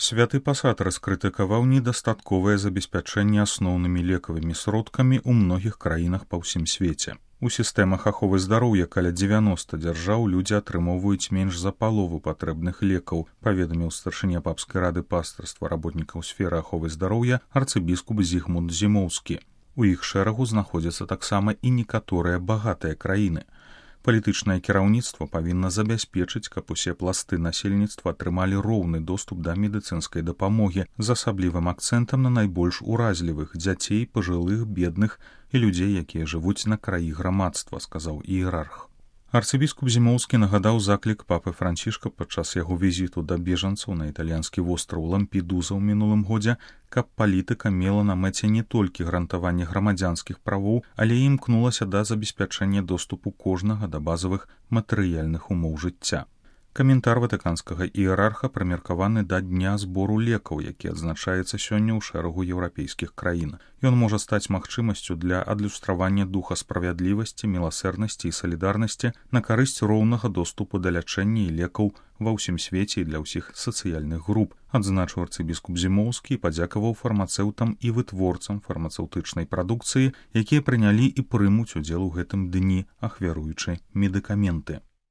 Святы пасад раскрытыкаваў недастатковае забеспячэнне асноўнымі лекавымі сродкамі ў многіх краінах па ўсім свеце. У сістэмах аховы здароўя каля 90 дзяржаў людзі атрымоўваюць менш за палову патрэбных лекаў, паведаміў старшыня папскай рады пастырства работнікаў сферы аховы здароўя арцыбіскуп Зігмунд Зімоўскі. У іх шэрагу знаходзяцца таксама і некаторыя багатыя краіны. Палітычнае кіраўніцтва павінна забяспечыць, каб усе пласты насельніцтва атрымалі роўны доступ да медыцынскай дапамогі з асаблівым акцэнтам на найбольш уразлівых дзяцей, пажылых, бедных і людзей, якія жывуць на краі грамадства, сказаў іерарх. Арцыбіскуп Зімоўскі нагадаў заклік папы Францішка падчас яго візіту да бежанцаў на італьянскі востраў Лампедуза ў мінулым годзе, каб палітыка мела на мэце не толькі гарантаванне грамадзянскіх правоў, але і імкнулася да забеспячэння доступу кожнага да базавых матэрыяльных умоў жыцця. Каментар ватыканскага іерарха прымеркаваны да дня збору лекаў, які адзначаецца сёння ў шэрагу еўрапейскіх краін. Ён можа стаць магчымасцю для адлюстравання духа справядлівасці, міласэрнасці і салідарнасці на карысць роўнага доступу да лячэння і лекаў ва ўсім свеце і для ўсіх сацыяльных груп, адзначыў арцыбіскуп Зімоўскі і падзякаваў фармацэўтам і вытворцам фармацэўтычнай прадукцыі, якія прынялі і прымуць удзел у гэтым дні, ахвяруючы медыкаменты.